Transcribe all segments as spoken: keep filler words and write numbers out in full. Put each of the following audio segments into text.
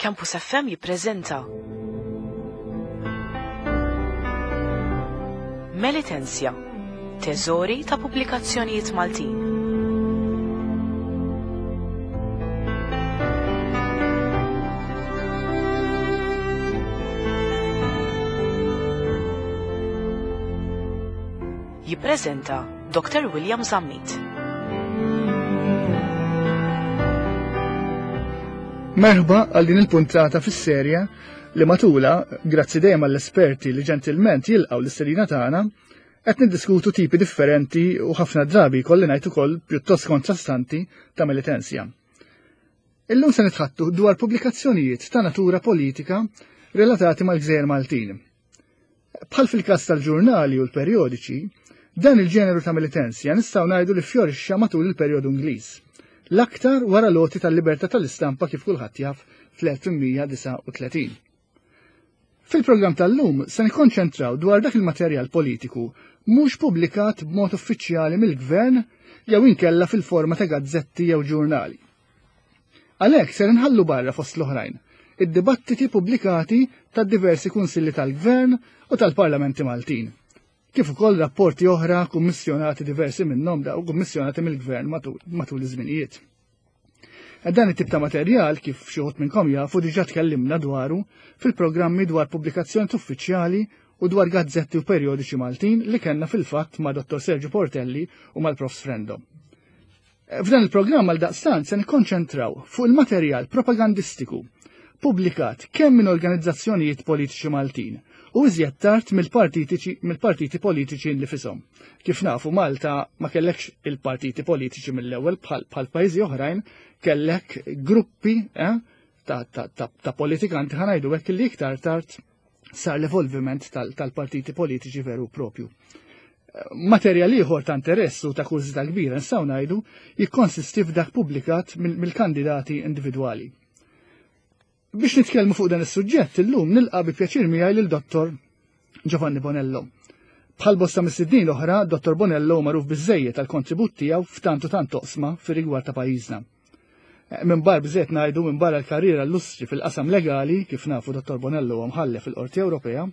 Campus F M jippreżenta Melitensia, teżori ta' pubblikazzjonijiet Maltin. Jippreżenta Doctor William Zammit. Merħba għal din il-puntata fis-serja li matula, grazzi dejjem għall-esperti li ġentilment jilqgħu l-istedina tagħna, qed niddiskutu tipi differenti u ħafna drabi kolli ngħid ukoll pjuttost kontrastanti ta' Melitensia. Illum se nitħattu dwar pubblikazzjonijiet ta' natura politika relatati mal-Gżejjer Maltin. Bħal fil-każ tal-ġurnali u l-perjodiċi, dan il-ġeneru ta' Melitensia nistgħu ngħidu li fjorixxa matul il-perjodu Ingliż. L-aktar wara loti tal-libertà tal-istampa kif kulħadd jaf fl-elf tmien mija disgħa u tletin. Fil-programm tal-lum se nikkonċentraw dwar dak il-materjal politiku mhux pubblikat b'mod uffiċjali mill-gvern jew inkella fil-forma ta' gazzetti jew ġurnali. Għalhekk ser inħallu barra fost l-oħrajn id-dibattiti pubblikati ta' diversi kunsilli tal-gvern u tal-parlamenti Maltin, kif ukoll rapporti oħra kummissjonati diversi minnhom daw kummissjonati mill-gvern matul, matul iż-żminijiet. Dan it-tip ta' materjal, kif xi wħud minnkom jafu, diġà tkellimna dwaru fil-programmi dwar pubblikazzjoni uffiċjali u dwar gazzetti u perjodiċi Maltin li kellna fil-fatt ma' Dottor Sergio Portelli u mal-Profs Frendo. F'dan il-programm għal daqstant se nikkonċentraw fuq il-materjal propagandistiku pubblikat kemm minn organizzazzjonijiet politiċi Maltin u iżjed tard mill-partitiċi, mill-partiti politiċi nlifisom. Kif nafu Malta ma kellekx il-partiti politiċi mill-ewwel bħal, bħal pajjiżi oħrajn, kellek gruppi, eh, ta', ta', ta', ta' politikanti ħanajdu hekk li iktar tard sar l-evolviment tal-, tal-partiti politiċi veru propju. Materjal ieħor ta' interess u ta' kurżità kbira nistgħu ngħidu jikkonsisti f'dak pubblikat mill-, mill-kandidati individwali. Biex nitkellmu fuq dan is-suġġett illum nilqa' bi pjaċir miegħi lil Dottor Giovanni Bonello. Bħal bosta mis-sidnin l-oħra, Dottor Bonello hu magħruf biżżejjed tal-kontribut tiegħu f'tant u tant toqsma fir-rigward ta' pajjiżna. Minn bar bżejt ngħidu minn barra l-karriera llustri fil-qasam legali, kif nafu Dottor Bonello huwa mħallef fil-Qorti Ewropea,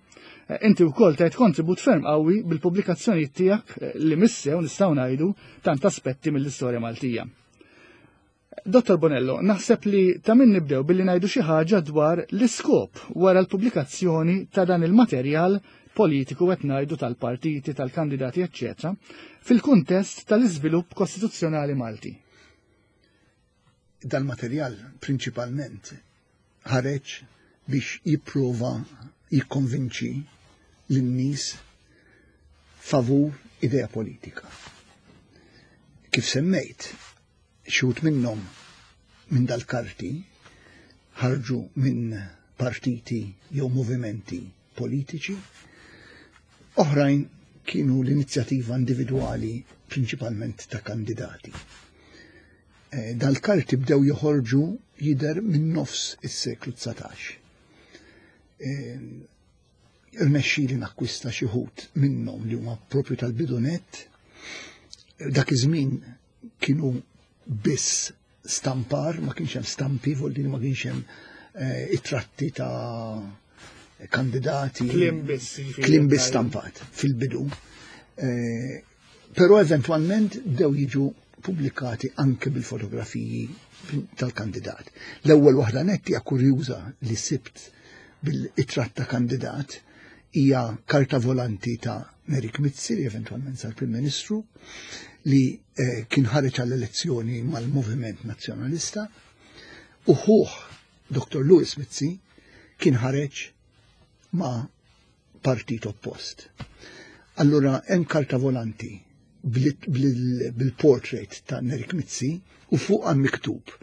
inti wkoll tajt kontribut ferm qawwi bil-pubblikazzjonijiet tiegħek li missew nistgħu ngħidu tant aspetti mill-istorja Maltija. Dottor Bonello, naħseb li ta' min nibdew billi ngħidu xi ħaġa dwar l-iskop wara l-pubblikazzjoni ta' dan il-materjal politiku qed ngħidu tal-partiti, tal-kandidati, eċċetera, fil-kuntest tal-iżvilupp kostituzzjonali Malti. Dal-materjal prinċipalment ħareġ biex jipprova jikkonvinċi lin-nies favur idea politika. Kif semmejt, xi wħud minnhom minn dal-karti ħarġu minn partiti jew movimenti politiċi, oħrajn kienu l-inizjattiva individwali prinċipalment ta' kandidati. Eh, dal-karti bdew joħorġu jidher minn nofs is-seklu dsatax. Eh, irnexxieli nakkwista xi wħud minnhom li huma propju tal-bidunet. Dak iż-żmien kienu biss stampar, ma kienx hemm stampi, vuol dire ma kienx hemm, eh, it-tratti ta' kandidati. Kliem biss, jiġifieri, Kliem biss tajjeb. stampat fil-bidu. Eh, però eventwalment bdew jiġu pubblikati anke bil-fotografiji tal-kandidat. L-ewwel waħda netti hija kurjuża li sibt bil-itratt ta' kandidat hija karta volanti ta' Nerik Mizzi, li eventwalment sar Prim Ministru, li, eh, kien ħareġ għall-elezzjoni mal-Moviment Nazzjonalista, u ħuh Doktor Louis Mizzi kien ħareġ ma' partit oppost. Allura hemm karta volanti bil-, bil-, bil-portrait ta' Nerik Mizzi u fuq għan miktub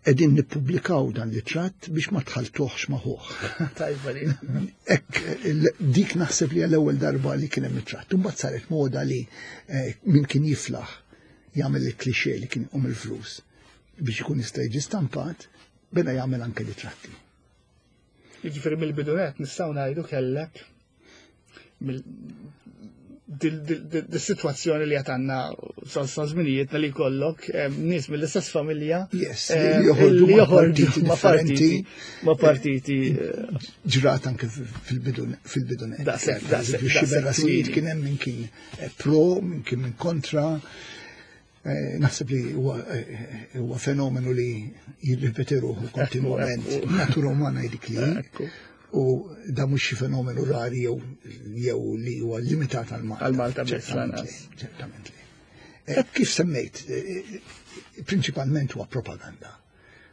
qegħdin nippubblikaw dan l-itratt biex ma tħaltuhx ma' ħuh. Tajba li. Ek, il-, dik naħseb li għall-ewwel darba li kien hemm itratt. Imbagħad saret moda li, eh, min kien jiflaħ jagħmel il-klixè li kien iqum il-flus biex ikun jista' jiġi stampat, beda jagħmel anke l-itratti. Jiġifieri mill-bidunet nistgħu ngħidu kellek mill-, Dis-sitwazzjoni li għandna sa żminijietna li jkollok nies mill-istess familja Yes, li joħorġu ma' partiti ma' partiti ġrat anke fil-bidu. Daqshekk, daqshekk. Xi kien hemm min kien pro, min kien min kontra. Naħseb li huwa fenomenu li jirripeti ruħu kontinwament. Natura umana dik li. U da mhux xi fenomenu rari jew jew li huwa limitat għal Malta. Għal Malta biss lanqas. Ċertament li. Kif semmejt, prinċipalment huwa propaganda.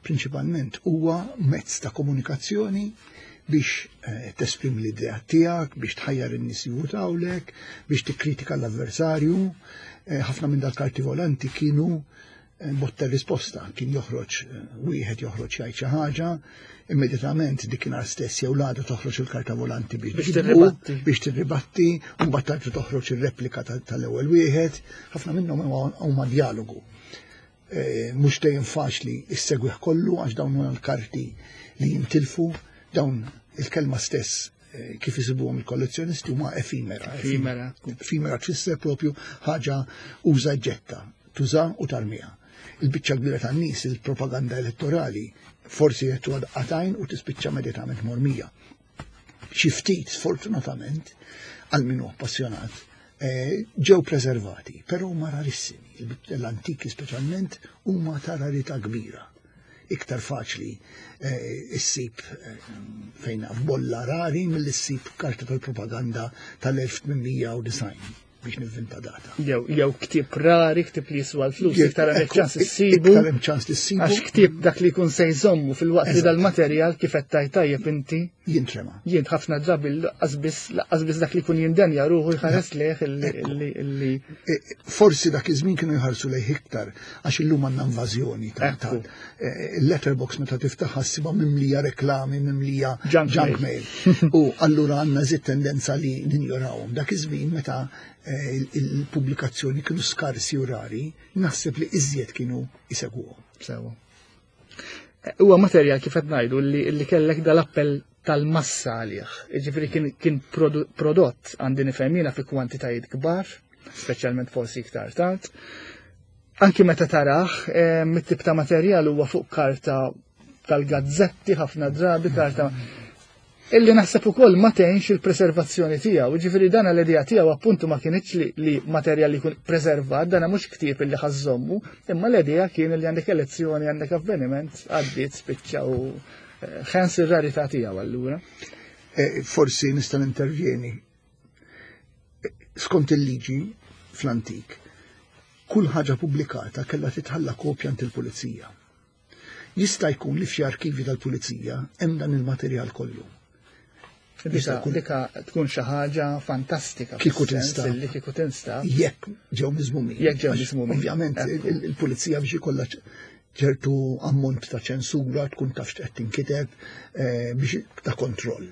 Prinċipalment huwa mezz ta' komunikazzjoni biex tesprimi l-idea tiegħek, biex tħajjar in-nies jivvutawlek, biex tikkritika l-avversarju. Ħafna minn dal-karti volanti kienu botta risposta, kien joħroġ wieħed joħroġ jgħid xi ħaġa, immedjatament dik stess jew l-għada toħroġ il-karta volanti biex tirribatti, biex tirribatti, u mbagħad toħroġ ir-replika tal-ewwel wieħed. Ħafna minnhom huma dialogu. Mhux dejjem faċli issegwih kollu għax dawn huma l-karti li jintilfu, dawn il-kelma stess kif isibuhom il-kollezzjonisti huma efimera. Efimera. Efimera tfisser propju ħaġa uża ġetta, tuża u tarmija. Il-biċċa kbira tan-nies, il-propaganda elettorali, forsi jettu għatajn u tispiċċa immedjatament mormija. Xi ftit, sfortunatament, għal min hu appassjonat, ġew preservati, però huma rarissimi. L-antiki speċjalment huma ta' rarità kbira. Iktar faċli issib fejn f'bolla rari milli ssib karta tal-propaganda tal-elf tmien mija u disgħin biex nivvinta data. Jew jew ktieb rari, ktieb li jiswa l-flus, iktar hemm ċans issibu. Iktar hemm ċans li ssibu. Għax ktieb dak li jkun se jżommu fil-waqt li dal-materjal kif qed tajt tajjeb inti. Jintrema. Jien ħafna drabi laqqas biss dak li jkun jindenja ruħu jħares lejh illi. Forsi dak iż-żmien kienu jħarsu lejh iktar għax illum għandna invażjoni ta' il-letterbox meta tiftaħha ssibha mimlija reklami, mimlija junk mail. U allura għandna żid tendenza li ninjorawhom. Dak iż-żmien meta il-pubblikazzjoni kienu skarsi u rari, naħseb li iżjed kienu jisegwuhom. Sewa. Huwa materjal kif qed ngħidu li kellek dal-appell tal-massa għalih. Jiġifieri kien, kien prodott għandi nifhem jiena fi kwantitajiet kbar, speċjalment forsi iktar tard. Anki meta tarah, mit-tip ta' materjal huwa fuq karta tal-gazzetti ħafna drabi, karta illi naħseb ukoll ma tgħinx il-preservazzjoni tiegħu. Jiġifieri dan l-idea tiegħu appuntu ma kienx li, li materjal li jkun preservat, dana mhux ktieb illi ħażżommu, imma l-idea kien li għandek elezzjoni, għandek avveniment, għaddiet spiċċa u ħens ir-rarità tiegħu allura. Forsi nista' nintervjeni. Skont il-liġi fl-antik, kull ħaġa pubblikata kellha titħalla kopja għand il-pulizija. Jista' jkun li f'xi arkivi tal-pulizija hemm dan il-materjal kollu. Dika, dika tkun xi ħaġa fantastika. Kieku tinstab. Li kieku tinstab. Jekk ġew miżmumin. Jekk ġew miżmumin. Ovvjament il-pulizija biex ikollha ċertu ammont ta' ċensura, tkun taf x'qed tinkiteb biex ta' kontroll.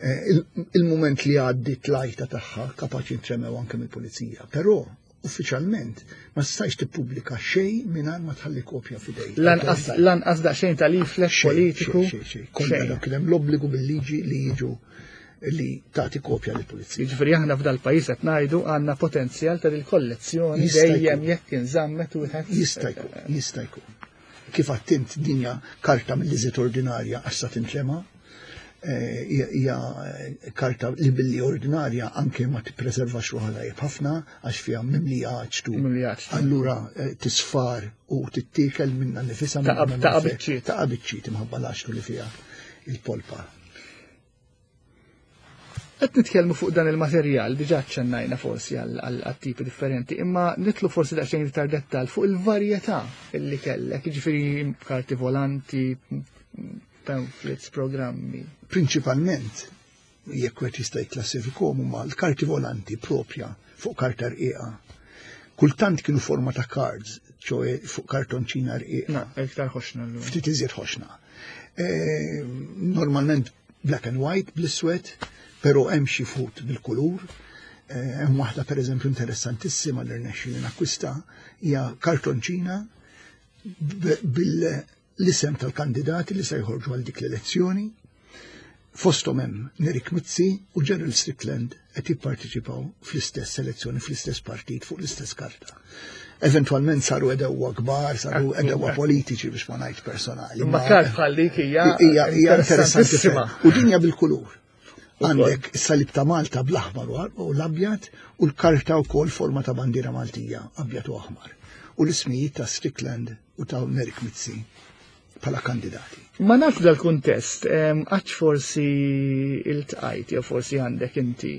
Il-mument li għaddi tlajta tagħha kapaċi ntremew anke mill-pulizija, però uffiċjalment ma stajx tippubblika xejn mingħajr ma tħalli kopja f'idejk. Lanqas lanqas daqsxejn ta' leaflet politiku. Kollha dak kien hemm l-obbligu bil-liġi li jiġu li tagħti kopja lill-pulizija. Jiġifieri aħna f'dal-pajjiż qed ngħidu għandna potenzjal ta' dil-kollezzjoni dejjem jekk inżammet wieħed. Jista' jkun, jista' jkun. Kif attint dinja karta mill-iżjed ordinarja għax sa tintrema, hija karta li billi ordinarja anke ma tippreservax ruħha tajjeb ħafna għax fiha mimlija aċtu. Allura tisfar u tittiekel minnha nifisha. Ta' biċċiet. Ta' biċċiet imħabba l-aċtu li fiha il-polpa. Qed nitkellmu fuq dan il-materjal, diġà ċċennajna forsi għal tipi differenti, imma nitlu forsi daqsxejn iktar dettal fuq il-varjetà illi kellek, jiġifieri karti volanti, pamphlets, programmi. Prinċipalment, jekk wieħed jista' jikklassifikhom huma l-karti volanti propja fuq karta rqiqa. Kultant kienu forma ta' cards, ċoe fuq kartonċina rqiqa. Na, iktar ħoxna llum. Ftit iżjed ħoxna. Normalment black and white, bl-iswed, però hemm xi fut bil-kulur. Hemm waħda pereżempju interessantissima li rnexxieli nakkwista hija kartonċina bil l-isem tal-kandidati li se jħorġu għal dik l-elezzjoni. Fosthom hemm Nerik Mizzi u Gerald Strickland qed jipparteċipaw fl-istess selezzjoni, fl-istess partit, fuq l-istess karta. Eventwalment saru edewwa kbar, saru edewwa politiċi biex ma ngħidx personali. Ma kart bħal dik hija hija interessantissima. U dinja bil-kulur. Għandek is-salib ta' Malta bl-aħmar u l-abjad u l-karta wkoll forma ta' bandiera Maltija, abjad u aħmar. U l-ismijiet ta' Strickland u ta' Nerik Mizzi bħala kandidati. Ma nafx dal-kuntest, għax forsi iltqajt jew forsi għandek inti.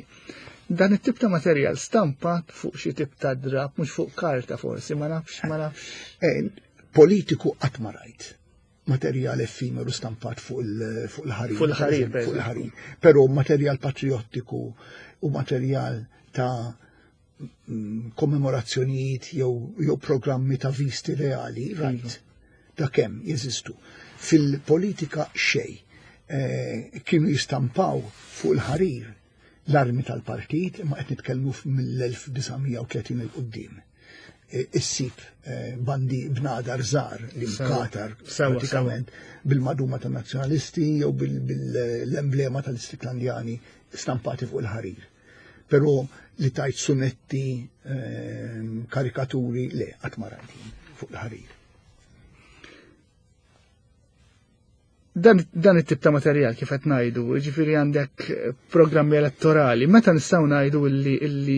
Dan it-tip ta' materjal stampat fuq xi tip ta' drab, mhux fuq karta forsi, ma nafx, ma nafx. Politiku qatt ma rajt materjal effimeru stampat fuq il-ħarir. Fuq il-ħarir, fuq il-ħarir. Però materjal patriottiku u materjal ta' kommemorazzjonijiet jew programmi ta' visti reali, rajt. Da kemm jeżistu. Fil-politika xej kienu jistampaw fuq il-ħarir l-armi tal-partit, imma qed nitkellmu mill-elf disa' mija u tletin il quddiem. Issib bandi bnadar żgħar li mkatar pratikament bil-maduma tan-nazzjonalisti jew bil-emblema tal-Istriklandjani stampati fuq il-ħarir. Però li tajt sunetti, karikaturi, le, qatt ma rajt fuq il-ħarir. Dan, dan it-tip ta' materjal kif qed ngħidu, jiġifieri għandek programmi elettorali, meta nistgħu ngħidu illi illi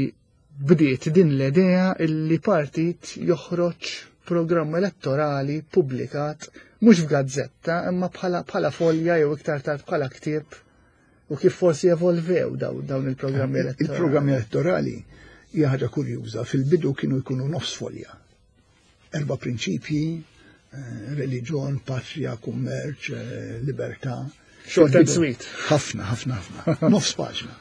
bdiet din l-idea illi partit joħroġ programm elettorali pubblikat mhux f'gazzetta imma bħala bħala folja jew iktar tard bħala ktieb, u kif forsi evolvew daw, dawn il-programmi elettorali. Il-programmi elettorali hija ħaġa kurjuża, fil-bidu kienu jkunu nofs folja. Erba' prinċipji, reliġjon, patrija, kummerċ, libertà. Short and sweet. Ħafna, ħafna, ħafna. Nofs paġna.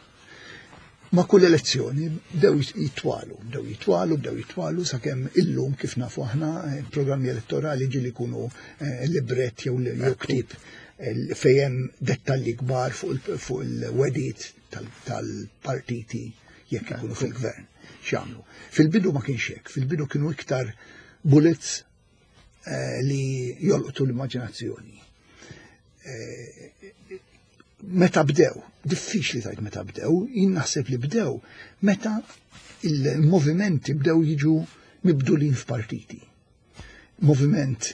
Ma kull elezzjoni bdew jitwalu, bdew jitwalu, bdew jitwalu, sakemm illum kif nafu aħna programmi elettorali ġieli jkunu libret jew ktieb fejn hemm dettalji kbar fuq il-wedit tal-partiti jekk ikunu fil-gvern. X'jagħmlu. Fil-bidu ma kienx hekk, fil-bidu kienu iktar bullets li jolqtu l-immaġinazzjoni. Meta bdew, diffiċli tajt meta bdew, jien naħseb li bdew meta il-movimenti bdew jiġu mibdulin f'partiti. Moviment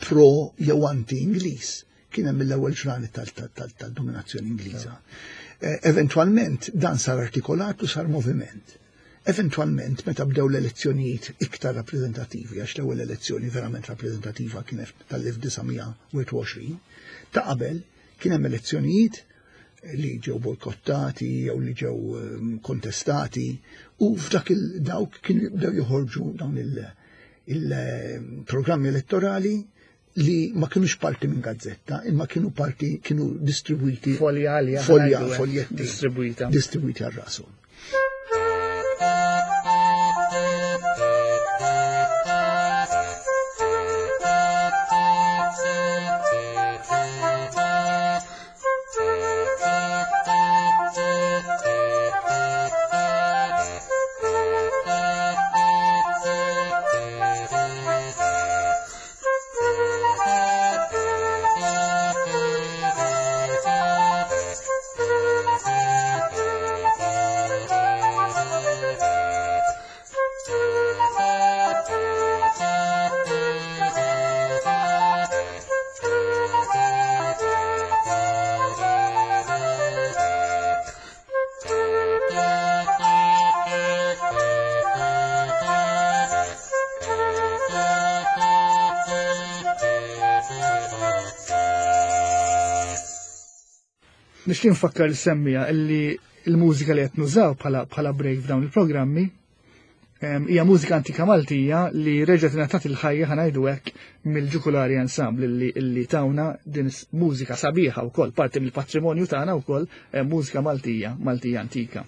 pro jew anti-Ingliż kien hemm mill-ewwel ġranet tal-dominazzjoni Ingliża. Eventwalment dan sar artikolat u sar moviment. Eventwalment, meta bdew l-elezzjonijiet iktar rappreżentattivi, għax l-ewwel elezzjoni verament rappreżentattiva kienet tal-elf disa' mija u wieħed u għoxrin, ta' qabel kien hemm elezzjonijiet li ġew bojkottati jew li ġew kontestati, u f'dak il-dawk kienu bdew joħorġu dawn il-programmi elettorali li ma kienux parti minn gazzetta, imma kienu parti, kienu distribwiti folja, folja, foljetti distribwita distribwiti għal rashom. Nixtieq nfakkar li semmija illi l-mużika li qed nużaw bħala bħala break f'dawn il-programmi hija mużika antika Maltija li reġgħet ingħatat il-ħajja ħa ngħidu hekk mill-Ġukulari Ensemble illi illi tawna din mużika sabiħa wkoll, parti mill-patrimonju tagħna wkoll, mużika Maltija, Maltija antika.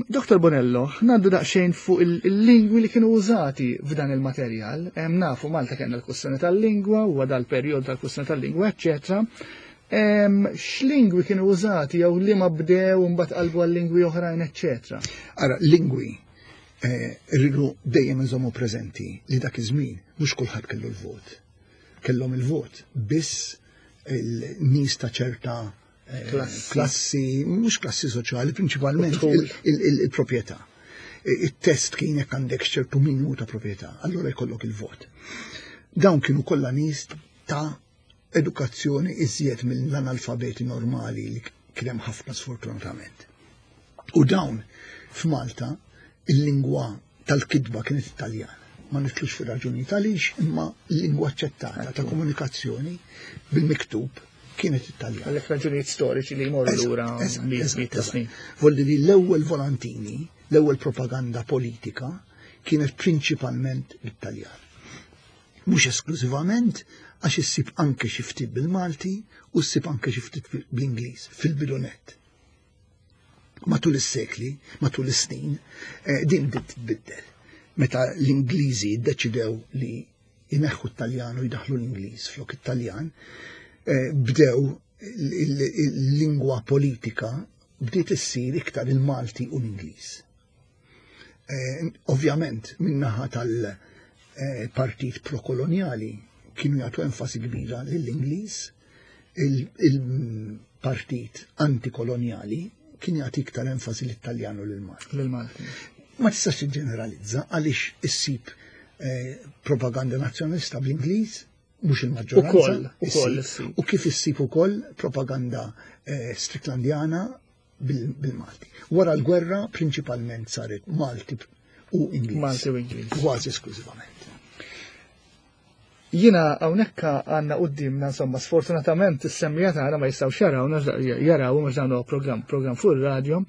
Doktor Bonello, ngħaddu daqsxejn fuq il-lingwi li kienu użati f'dan il-materjal. Nafu Malta kellna l-kwistjoni tal-lingwa, huwa dal-perjodu tal-kwistjoni tal-lingwa, eċċetera. X'lingwi kienu użati jew li ma bdew u mbagħad qalbu għal lingwi oħrajn, eċċetera. Ara, lingwi rridu dejjem inżommu preżenti li dak iż-żmien mhux kulħadd kellu l-vot. Kellhom il-vot biss il-nies ta' ċerta eh, Klassi. klassi, mhux klassi soċjali, prinċipalment U dħul. il- il- il-proprjetà. Il-test kien jekk għandek ċertu minimu ta' proprjetà, allura jkollok il-vot. Dawn kienu kollha nies ta' edukazzjoni iżjed mill-analfabeti normali li kien hemm ħafna sfortunatament. U dawn f'Malta il-lingwa tal-kidba kienet Italjan. Ma nitlux fi raġuni għaliex, imma l-lingwa aċċettata ta' komunikazzjoni bil-miktub kienet Italjan. Għalhekk raġunijiet storiċi li jmorru lura Eżatt, miet eżatt, miet ta' eżatt. snin. Volli li l-ewwel volantini, l-ewwel propaganda politika kienet prinċipalment bit-Taljan. Mhux esklużivament għax issib anke xi ftit bil-Malti u ssib anke xi ftit bl-Ingliż fil-bidu nett. Matul is-sekli, matul is-snin, eh, din bdiet titbiddel. Meta l-Ingliżi ddeċidew li jneħħu t-Taljan u jdaħlu l-Ingliż flok it-Taljan, eh, bdew il-lingwa politika bdiet issir iktar il-Malti u l-Ingliż. Eh, Ovvjament, min-naħa tal-partit prokoloniali kienu jagħtu enfasi kbira lill-Ingliż, il-partit antikoloniali kien jagħti iktar enfasi lit-Taljan u lill-Malti. Lil-Malti. Ma tistax tiġġeneralizza għaliex issib eh, propaganda nazzjonalista bl-Ingliż, mhux il-maġġoranza. Ukoll, ukoll issib. issib. U kif issib ukoll propaganda eh, Stricklandiana bil- bil-Malti. Wara l-gwerra prinċipalment saret Malti u Ingliż. Malti u Ingliż. Kważi esklużivament. Jiena hawnhekk għandna qudiemna insomma sfortunatament is-semmiegħa tagħna ma jistgħux jarawna jaraw mhux dan huwa program program fuq ir-radio.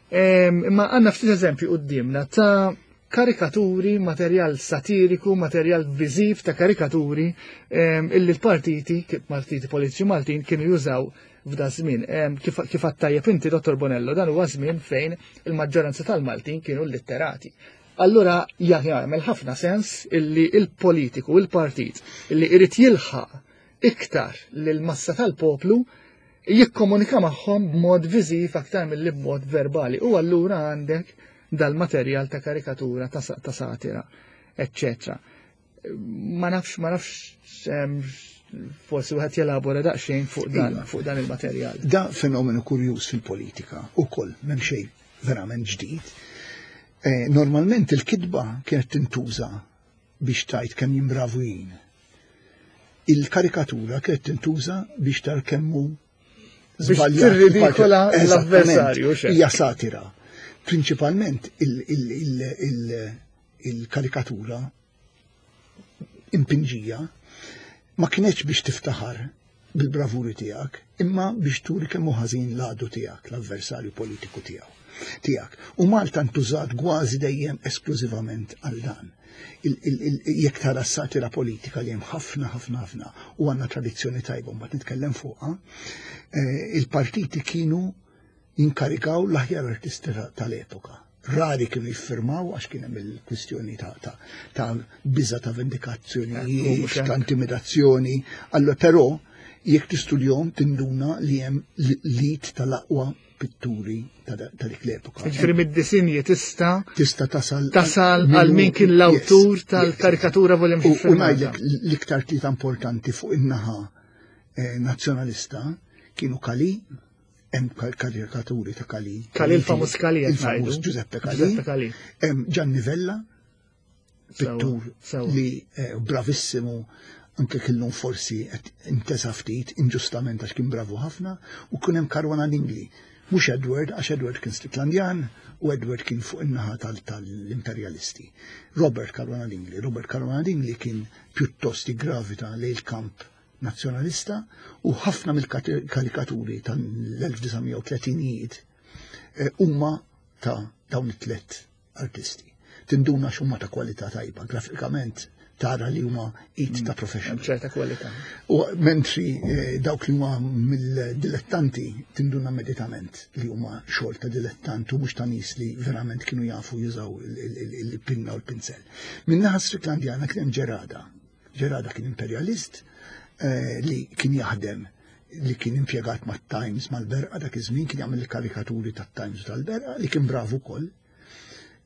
Em, Imma għandna ftit eżempji qudiemna ta' karikaturi, materjal satiriku, materjal viżiv ta' karikaturi em, illi l-partiti, partiti politiċi Maltin kienu jużaw f'da żmien. Em, Kif kif għattajjeb inti, Dottor Bonello, dan huwa żmien fejn il-maġġoranza tal-Maltin kienu litterati. Allura jagħmel ħafna sens illi il-politiku, il-partit, illi irid jilħaq iktar lil massa tal-poplu jikkomunika magħhom b'mod viżiv aktar milli b'mod verbali. U allura għandek dal-materjal ta' karikatura, ta' sa- ta' satira, eccetera. Ma nafx, ma nafx, em, forsi wieħed jelabora daqsxejn fuq dan, Iva. fuq dan il-materjal. Da fenomenu kurjuż fil-politika u koll, m'hemm xejn verament ġdid. Eh, normalment il-kidba kienet tintuża biex tgħid kemm jien bravu jien. Il-karikatura kienet tintuża biex tar kemm hu Biex żbaljat tirridikola il-partit. l-avversarju, Eżattament, xek. Hija satira. Prinċipalment il- il- il- il- il-karikatura impinġija ma kienx biex tiftaħar bil-bravuri tiegħek, imma biex turi kemm hu ħażin l-għadu tiegħek, l-avversarju politiku tiegħu. Tiegħek. U Malta ntużat kważi dejjem esklużivament għal dan. Il- il- il- Jekk tara s-satira politika li hemm ħafna ħafna ħafna u għandna tradizzjoni tajba mbagħad nitkellem fuqha, eh, il-partiti kienu jinkarikaw l-aħjar artisti ta- tal-epoka. Rari kienu jiffirmaw għax kien hemm il-kwistjoni ta' ta' ta' biża ta' Ekku, vendikazzjoni, mhux ta' hekk. intimidazzjoni. Allora però jekk tistudjahom tinduna li hemm lit tal-aqwa pitturi ta' ta' dik l-epoka. Ġifieri mid-disinji tista' Tista' tasal tasal għal min kien l-awtur Yes, tal-karikatura volem U u ngħidlek l-iktar tlieta importanti fuq in-naħa eh, nazzjonalista kienu Kali, hemm kar- karikaturi ta' Kali. Kali il-famuż Kali qed Il-famuż ngħidu. Giuseppe Kali. Giuseppe Kali. Hemm Gianni Vella, pittur Sewa. li eh, bravissimu anke kellhom forsi qed intesa ftit inġustament għax kien bravu ħafna u kien hemm Caruana Dingli. Mhux Edward, għax Edward kien Stricklandjan u Edward kien fuq in-naħa tal- tal-imperjalisti. Robert Caruana Dingli. Robert Caruana Dingli kien pjuttost gravita lejn il-kamp nazzjonalista u ħafna mill-karikaturi tal-elf disa' mija u tletinijiet eh, huma ta' dawn it-tlet artisti. Tinduna x'huma ta' kwalità tajba, grafikament tara li huma it ta' professional. Ċerta kwalità. U mentri eh, dawk li huma mill-dilettanti tinduna immedjatament li huma xogħol ta' dilettant u mhux ta' nies li verament kienu jafu jużaw il-pinna u l-pinsel. Min-naħa Stricklandjana kien hemm Ġerada. Ġerada kien imperialist eh, li kien jaħdem li kien impjegat mat-Times mal-Berqa dak iż-żmien kien jagħmel il-karikaturi tat-Times u tal-Berqa li kien bravu wkoll.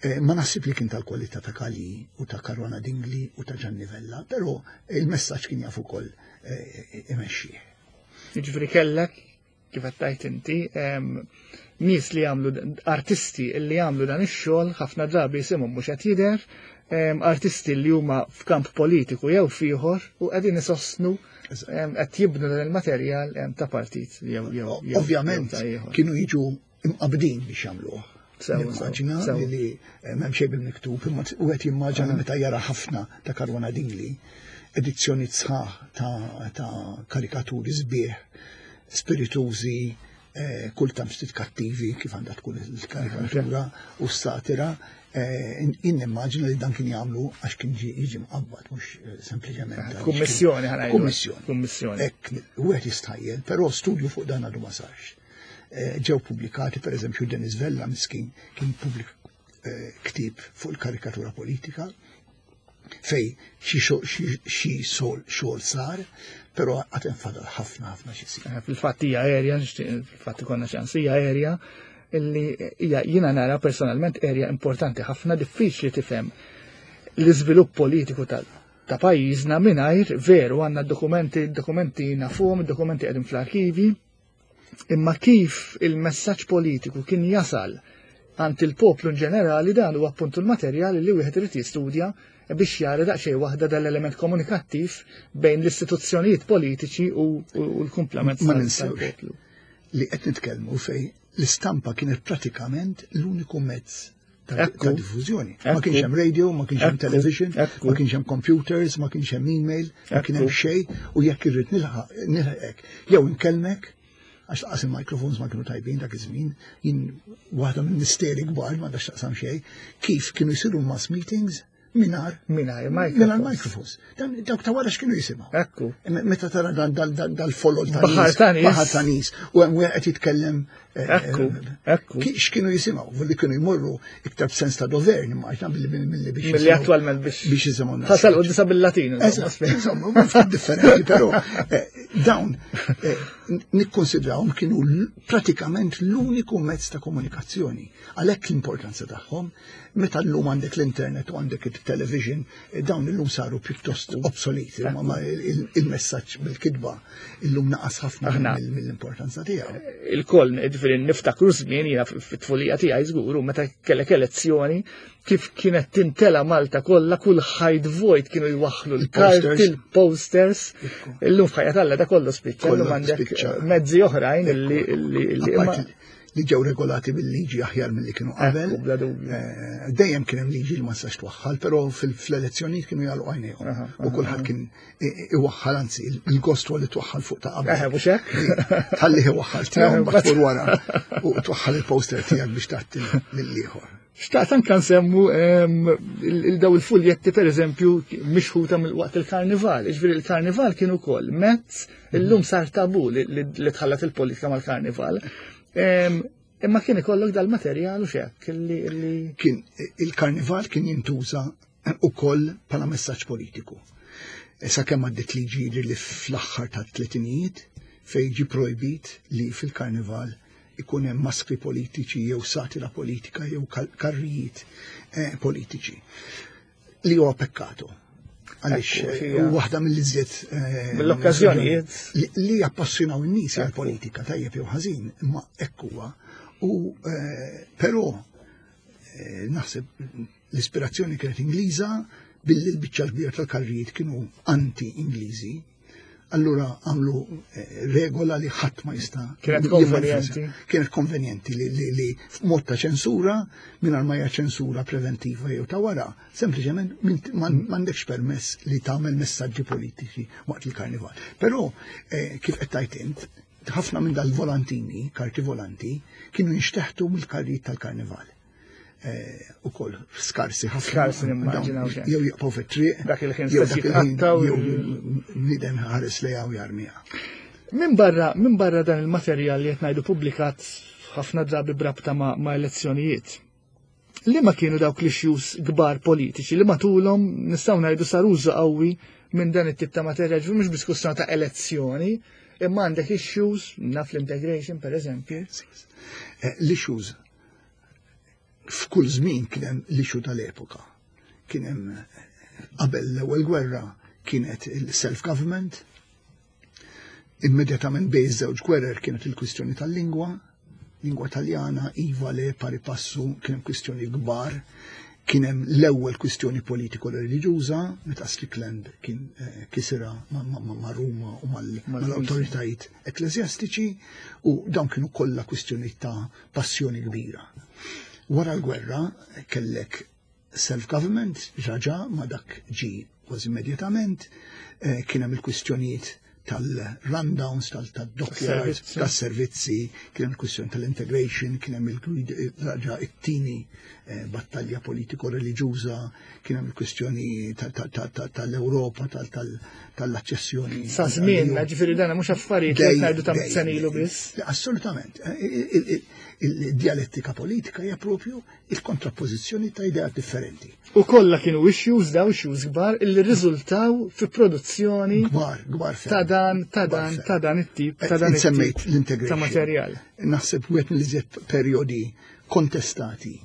Eh, Ma naħsib li kien tal-kwalità ta' Kali u ta' Caruana Dingli u ta' Gianni Vella, però il-messaġġ kien jaf ukoll eh, imexxih. Jiġifieri kellek, kif qed tgħid inti, nies li jagħmlu, artisti li jagħmlu dan ix-xogħol, ħafna drabi isimhom mhux qed jidher, artisti li huma f'kamp politiku jew f'ieħor u qegħdin isostnu, qed jibnu dan il-materjal ta' partit jew jew Ovvjament kienu jiġu imqabdin biex jagħmluh. Nimmaġina li m'hemm xejn bil-miktub, imma wieħed jimmaġina meta jara ħafna ta' Caruana Dingli, edizzjoni sħaħ ta' karikaturi sbieħ, spiritużi, kultant ftit kattivi kif għandha tkun il-karikatura u s-satira, jien nimmaġina li dan kien jagħmlu għax kien jiġi mqabbad, mhux sempliċement. Kummissjoni ħa ngħidu. Kummissjoni. Kummissjoni. Hekk wieħed jistħajjel, però studju fuq dan għadu ma sarx. Ġew pubblikati, per eżempju, Dennis Vella miskin kien pubblika ktieb fuq il-karikatura politika fej xi xogħol sar, però għad infadal ħafna ħafna xi jsir. Fil-fatt hija area, fil-fatt ikollna ċans, hija area illi hija, jiena nara personalment, area importanti ħafna. Diffiċli tifhem l-iżvilupp politiku tal ta' pajjiżna mingħajr, veru għandna dokumenti, dokumenti nafuhom, dokumenti qegħdin fl-arkivi, imma kif il-messaġġ politiku kien jasal għand il-poplu in ġenerali, dan huwa appuntu l-materjal li wieħed irid jistudja biex jara daqsxejn waħda dal-element komunikattiv bejn l-istituzzjonijiet politiċi u l-kumplament Ma ninsewx li qed nitkellmu fej l-istampa kienet pratikament l-uniku mezz ta' diffużjoni. Ma kienx hemm radio, ma kienx hemm television, ma kienx hemm computers, ma kienx hemm email, ma kien hemm xejn, u jekk irrid nilħaqek jew inkellmek, għax laqas il-microphones ma kienu tajbin dak iż-żmien, jien waħda minn misteri kbar, ma għandax taqsam xejn, kif kienu jsiru mass meetings mingħajr mingħajr mingħajr microphones. Dan dawk ta' wara x'kienu jisimgħu? Ekku. Meta tara dan dal-folol ta' Baħar ta' nies. Baħar ta' nies u hemm wieħed qed jitkellem. Ekku, ekku. X'kienu jisimgħu? Li kienu jmorru iktar b'sens ta' dover, nimmaġina, milli biex Milli attwalment biex biex jisimgħu. Tasal quddisa bil-Latin. Insomma, ftit differenti, però dawn nikkonsidrawhom kienu pratikament l-uniku mezz ta' komunikazzjoni. Għalhekk l-importanza tagħhom, meta llum għandek l-internet u għandek il-television, dawn illum saru pjuttost obsoleti, ma il-messaġġ bil-kitba illum naqas ħafna mill-importanza tiegħu. Il-koll, ġifieri niftakru żmien, jiena fit-tfulija tiegħi żgur, meta kellek elezzjoni, kif kienet tintela Malta kollha, kull ħajt vojt kienu jwaħħlu l-karti, il-posters. Illum f'ħajja talla da kollu spiċċa, illum għandek mezzi oħrajn illi li ġew regolati bil-liġi aħjar milli kienu qabel. Dejjem kien hemm liġi li ma tistax twaħħal, però fl-elezzjonijiet kienu jagħlqu għajnejhom. U kulħadd kien iwaħħal, anzi il-gost huwa li twaħħal fuq ta' qabel. Eħe, mhux hekk? Tħallih iwaħħal tiegħu mbagħad tmur wara u twaħħal il-poster tiegħek biex tagħti lill-ieħor. Xtaqt anke nsemmu il-daw il-fuljetti, per eżempju, mixħuta mill-waqt il-karnival. Ġifieri il-karnival kien ukoll mezz, illum sar tabu li tħallat il-politika mal-karnival. Imma kien ikollok dal-materjal u xek li Kien il-karnival kien jintuża ukoll bħala messaġġ politiku. Sakemm għaddiet liġi li fl-aħħar tat-tletinijiet fejn ġie projbit li fil-karnival ikun hemm maskri politiċi jew satira politika jew karrijiet politiċi. Li huwa pekkato. Għaliex waħda mill-iżjed mill-okkażjonijiet li jappassjonaw in-nies għall-politika, tajjeb jew ħażin, imma hekk huwa. U però naħseb l-ispirazzjoni kienet Ingliża, billi l-biċċa l-kbira tal-karrijiet kienu anti-Ingliżi. Allura għamlu regola li ħadd ma jista'. Kienet konvenjenti. Kienet konvenjenti li li f'mod ta' ċensura, mingħajr ma hija ċensura preventiva jew ta' wara, sempliċement m'għandekx permess li tagħmel messaġġi politiċi waqt il-karnival. Però kif qed tgħid int, ħafna minn dal-volantini, karti volanti, kienu jinxteħtu mill-karrijiet tal-karnival. U koll skarsi ħafna. Skarsi nimmaġinaw. Jew jaqgħu fit-triq. Dak il-ħin jew dak il-ħin jew bniedem ħares lejha u jarmiha. Min barra min barra dan il-materjal li qed ngħidu pubblikat ħafna drabi brabta ma' elezzjonijiet, li ma kienu dawk l-issues kbar politiċi li matulhom nistgħu ngħidu sar użu qawwi minn dan it-tip ta' materjal, ġifieri mhux biss kwistjoni ta' elezzjoni, imma għandek issues, naf l-integration per eżempju. L-issues f'kull żmien kien hemm l-issue tal-epoka. Kien hemm qabel l-ewwel gwerra kienet il-self-government, Immedjatament bejn iż-żewġ gwerer kienet il-kwistjoni tal-lingwa, lingwa Taljana, iva le pari passu, kien hemm kwistjoni kbar, kien hemm l-ewwel kwistjoni politiko reliġjuża meta Strickland kien eh, kisira ma', ma, ma, ma' Ruma u mal- mal-awtoritajiet ekklesjastiċi u dawn kienu kollha kwistjoni ta' passjoni kbira. Wara l-gwerra kellek self-government, ġaġa ma dak ġi kważi immedjatament, eh, kien hemm il-kwistjonijiet tal-rundowns, tal-dockyards, Tas-servizzi. tas-servizzi, kien hemm il-kwistjoni tal-integration, kien hemm il-raġa it-tieni eh, battalja politiko-reliġjuża, kien hemm il-kwistjoni tal-Ewropa, tal-aċċessjoni. Sa żmien, ġifieri dana mhux affarijiet li ngħidu ta' sena ilu biss. Assolutament. Eh, Il-dialettika politika hija propju il-kontrappożizzjoni ta' ideat differenti. U kollha kienu issues daw issues kbar illi riżultaw fi produzzjoni Kbar, kbar ferm. ta' dan, ta' Kbar dan, ferm. ta' dan it-tip, ta' dan it-tip Semmejt l-integration. ta' materjal. Naħseb wieħed mill-iżjed perjodi kontestati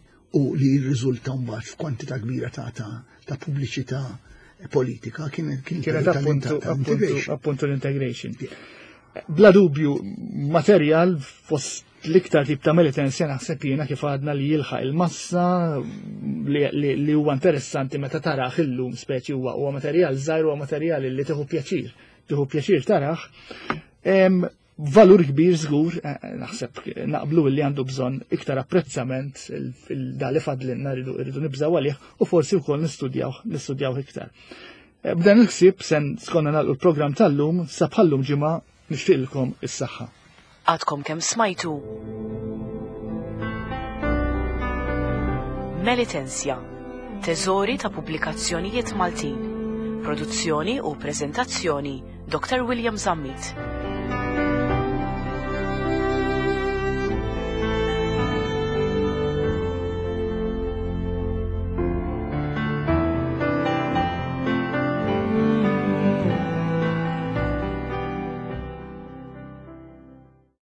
u li jirriżulta mbagħad f'kwantità kbira ta' ta' ta' pubbliċità politika kien kien Kienet il-perjodu appuntu, tal- appuntu, tal-integration. appuntu l-integration. Bla dubju, materjal fost l-iktar tip ta' Melitensia naħseb jiena kif għadna li jilħaq il-massa li, li, li huwa interessanti meta taraħ illum speċi huwa huwa materjal żgħir huwa materjal li tieħu pjaċir, tieħu pjaċir taraħ. Em, valur kbir żgur, eh, naħseb naqblu li għandu bżonn iktar apprezzament il-da li fadlinna rridu rridu nibżaw għalih u forsi wkoll nistudjaw nistudjaw iktar. Eh, B'dan il-ħsieb sen skonna nagħlqu l-programm tal-lum sa bħallum ġimgħa nixtieqilkom is-saħħa. Għadkom kemm smajtu Melitensia, teżori ta' pubblikazzjonijiet Maltin. Produzzjoni u preżentazzjoni Dr. William Zammit.